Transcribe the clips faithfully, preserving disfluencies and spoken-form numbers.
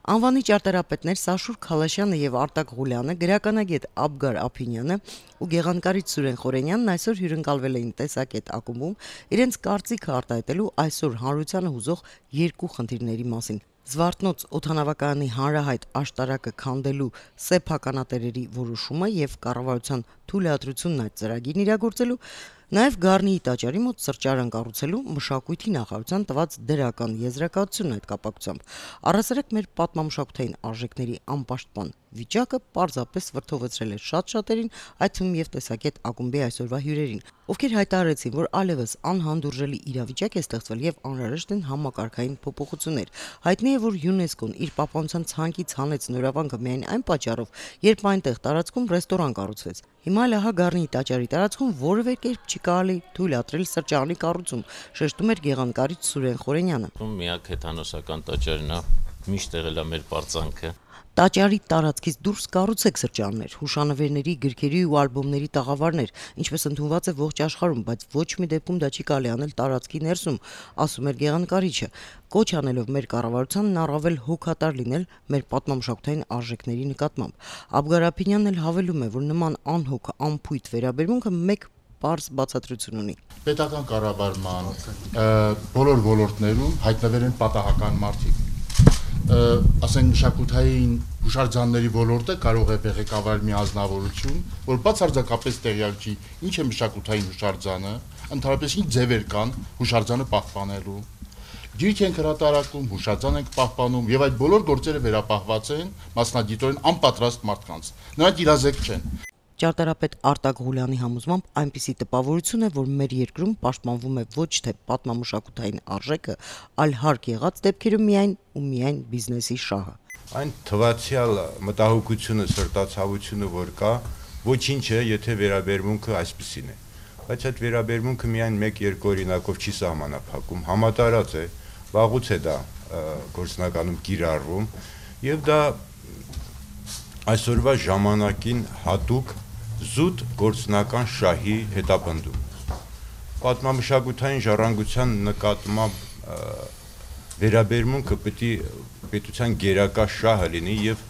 Անվանի ճարտարապետներ Սաշուր Քալաշյանը եւ Արտակ Ղուլյանը, գրականագետ Աբգար Ափինյանը ու գեղանկարիչ Սուրեն Խորենյանն այսօր հյուրընկալվել էին Տեսակետ ակումբում իրենց կարծիքը արտահայտելու այսօր հանրությանը հուզող երկու խնդիրների մասին։ Զվարթնոց օդանավակայանի հանրահայտ աշտարակը քանդելու սեփականատերերի որոշումը եւ կառավարության թույլատրությունն այդ ծրագիրն իրագործելու, նաեւ Գառնիի տաճարի մոտ սրճարան կառուցելու մշակույթի նախարարության տված դրական եզրակացությունն այդ կապակցությամբ։ Առասարակ մեր պատմամշակութային արժեքների անպաշտպան վիճակը պարզապես վրդովեցրել է շատ շատերին, այդ թվում եւ Տեսակետ ակումբի այսօրվա հյուրերին, ովքեր հայտարարեցին, որ այլևս անհանդուրժելի իրավիճակ է ստեղծվել եւ անհրաժեշտ են համակարգային փոփոխություններ։ Հայտնի է, որ ՅՈՒՆԵՍԿՕ-ն իր պապանության ցանկից հանեց Նորավանքը միայն այն պատճառով, երբ այնտեղ տարածքում ռեստորան կառուցվեց։ Հիմա էլ ահա Գառնիի տաճարի տարածքում որևէ կերպ չի կարելի թույլատրել սրճարանի կառուցում, շեշտում էր գեղանկարիչ Սուրեն Խորենյանը։ Միակ հեթանոսական տաճարն է, միշտ եղել է մեր պարծանքը։ Տաճարի տարածքից դուրս կառուցեք սրճարաններ, հուշանվերների, գրքերի ու ալբոմների տաղավարներ, ինչպես ընդունված է ողջ աշխարհում, բայց ոչ մի դեպքում դա չի կարելի անել տարածքի ներսում, ասում էր գեղանկարիչը, կոչ անելով մեր կառավարությանն առավել հոգատար լինել մեր պատմամշակութային արժեքների նկատմամբ։ Աբգար Ափինյանն էլ հավելում է, որ նման անհոգ, անփույթ վերաբերմունքը մեկ պարզ բացատրություն ունի։ Պետական կառավարման բոլոր ոլորտներում հայտնվել են պատահական մարդիկ։ Ասենք մշակութային հուշարձանների ոլորտը կարող է ղեկավարել մի ազնվորություն, որ բացարձակապես տեղյակ չի ինչ է մշակութային հուշարձանը, ընդհանրապես ինչ ձևեր կան հուշարձանը պահպանելու։ Գիրք են հրատարակում, հուշարձան ենք պահպանում եւ այդ բոլոր գործերը վերապահված են մասնագիտորեն անպատրաստ մարդկանց։ Նրանք իրազեկ չեն։ Ճարտարապետ Արտակ Ղուլյանի համոզմամբ այնպիսի տպավորություն է, որ մեր երկրում պաշտպանվում է ոչ թե պատմամշակութային արժեքը, այլ հարկ եղած դեպքերում միայն ու միայն բիզնեսի շահը։ Այն թվացial մտահոգությունը, սրտացավությունը, որ կա, ոչինչ է, եթե վերաբերմունքը այսպեսին է։ Բայց այդ վերաբերմունքը միայն մեկ-երկու օրինակով չի սահմանափակում, համատարած է, վաղուց է դա գործնականում կիրառվում, եւ դա այսօրվա ժամանակին հատուկ զուտ գործնական շահի հետապնդում։ Պատմամշակութային ժառանգության նկատմամբ վերաբերմունքը պետք է պետության գերակա շահը լինի եւ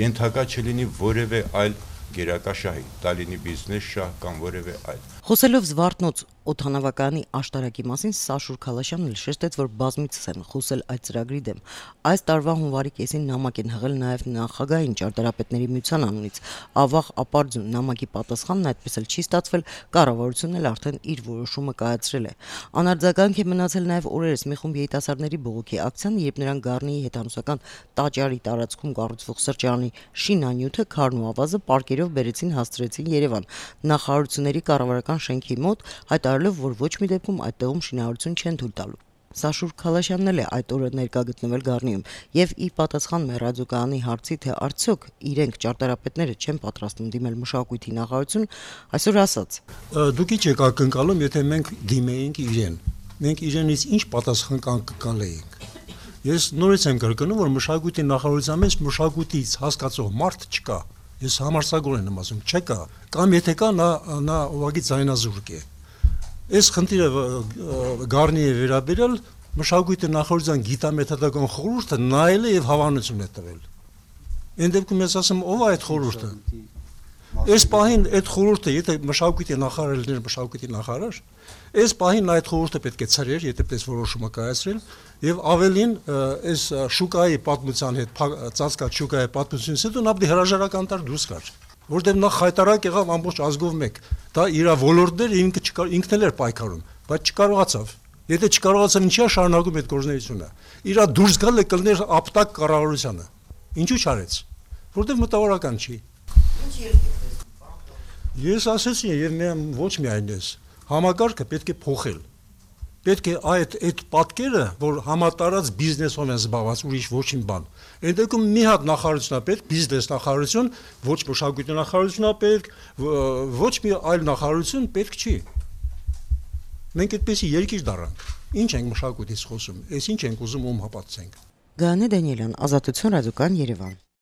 ենթակա չլինի որևէ այլ գերակա շահի, դա լինի բիզնես շահ կամ որևէ այլ։ Խոսելով Զվարթնոց օդանավակայանի աշտարակի մասին Սաշուր Քալաշյանն էլ շեշտեց, որ բազմիցս են խոսել այդ ծրագրի դեմ։ Այս տարվա հունվարի կեսին նամակ են հղել նաև նախագահային ճարտարապետների միության անունից։ Ավաղ ապարդյուն նամակի պատասխանն այդպես էլ չի ստացվել, կառավարությունն էլ արդեն իր որոշումը կայացրել է։ Անարձագանք է մնացել նաև օրերս մի խումբ երիտասարդների բողոքի ակցիան, երբ նրանք Գառնիի հեթանոսական տաճարի տարածքում կառուցվող սրճարանի շինանյութը, քարն ու ավազը պարկերով բերեցին հասցրեցին Երևան նախարարությունների կառավարական շենքի մոտ, հայտարարելով, որ ոչ մի դեպքում այդտեղում շինարարություն չեն թույլ տալու։ Սաշուր Քալաշյանն էլ է այդ օրը ներկա գտնվել Գառնիում եւ ի պատասխան մեր ռադիոկայանի հարցի, թե արդյոք իրենք ճարտարապետները չեն պատրաստվում դիմել մշակույթի նախարարություն, այսօր ասաց. Դուք ի՞նչ եք ակնկալում, եթե մենք դիմեինք իրեն։ Մենք իրենից ինչ պատասխան կկալեինք։ Ես նորից եմ կրկնում, որ մշակույթի նախարարության մեջ մշակույթից հասկացող մարդ չկա։ Ես համարձակորեն եմ ասում, չկա, կամ եթե կա, նա նա ուղղակի ձայնազուրկ է։ Այս խնդիրը Գառնի է վերաբերել մշակույթի նախարարության գիտամեթոդական խորհուրդը նայել է եւ հավանություն է տվել։ Այն դեպքում ես ասում, ով է այդ խորհուրդը։ Այս պահին այդ խորհուրդը, եթե մշակույթի նախարարը լիներ մշակույթի նախարար, այս պահին այդ խորհուրդը պետք է ցրեր, եթե պես որոշումը կայացրել, եւ ավելին այս շուկայի պատմության հետ ծածկած շուկայի պատմությունից հետո նա պետք է հրաժարական տար դուրս գար, որտեղ նա խայտարակ եղավ ամբողջ ազգով մեկ։ Դա իր ոլորտները ինքը ինքն էլ էր պայքարում, բայց չկարողացավ։ Եթե չկարողացավ, ինչի՞ է շարունակում այդ գործունեությունը։ Իրա դուրս գալը կլներ ապտակ կառավարությանը։ Ինչու՞ չարեց։ Որտեղ մտավորական չի։ Ես ասեցի եւ միայն ոչ միայն ես, համակարգը պետք է փոխել։ Պետք է այդ այդ պատկերը, որ համատարած բիզնեսով են զբաղված, ուրիշ ոչինչ բան։ Այդ դեպքում մի հատ նախարարությունա պետք, բիզնես նախարարություն, ոչ մշակույթի նախարարությունա պետք, ոչ մի այլ նախարարություն պետք չի։ Մենք այդպեսի երկիր դառանք։ Ինչ ենք մշակույթից խոսում, այս ինչ ենք ուզում ում հապացենք։ Գայանե Դանիելյան, Ազատություն ռադիոկայան, Երևան։